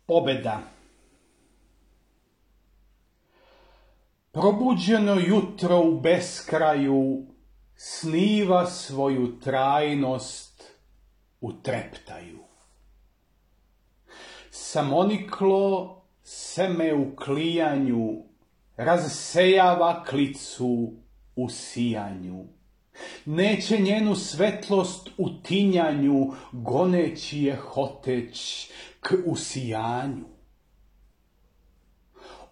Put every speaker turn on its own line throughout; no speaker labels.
Pobeda. Probuđeno jutro u beskraju sniva svoju trajnost u treptaju. Samoniklo seme u klijanju razsejava klicu u sijanju. Neće njenu svetlost u tinjanju, goneći je hoteć k usijanju.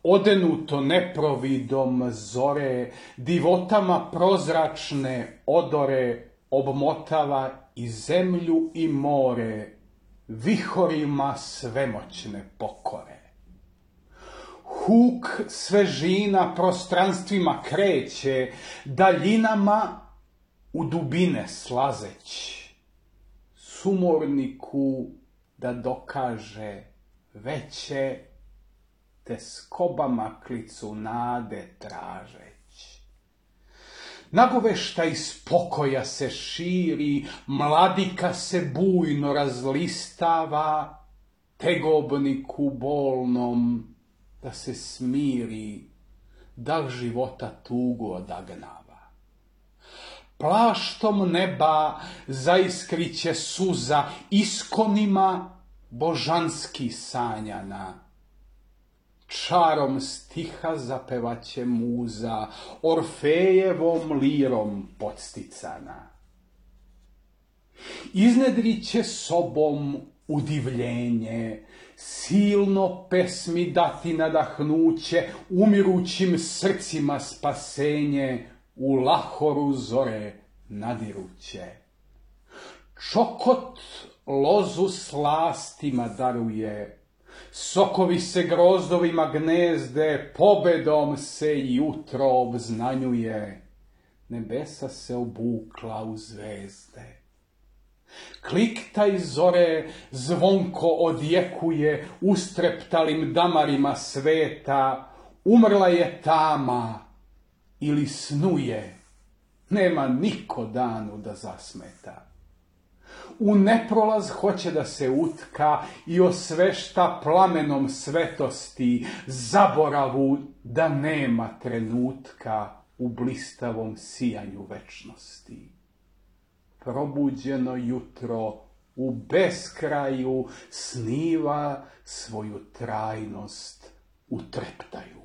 Odenuto neprovidom zore, divotama prozračne odore, obmotava i zemlju i more, vihorima svemoćne pokore. Huk svežina prostranstvima kreće, daljinama u dubine slazeć. Sumorniku da dokaže veće, te skobama klicu nade tražeć. Nagoveštaj spokoja se širi, mladika se bujno razlistava, tegobniku bolnom da se smiri, da života tugu odagnava. Plaštom neba zaiskriće suza, iskonima božanski sanjana. Čarom stiha zapevaće muza, Orfejevom lirom podsticana. Iznedriće sobom udivljenje, silno pesmi dati nadahnuće, umirućim srcima spasenje, u lahoru zore nadiruće. Čokot lozu slastima daruje, sokovi se grozdovima gnezde, pobedom se jutro obznanjuje, nebesa se obukla u zvezde. Kliktaj zore zvonko odjekuje ustreptalim damarima sveta, umrla je tama ili snuje, nema niko danu da zasmeta. U neprolaz hoće da se utka i osvešta plamenom svetosti, zaboravu da nema trenutka u blistavom sijanju večnosti. Probuđeno jutro u beskraju sniva svoju trajnost u treptaju.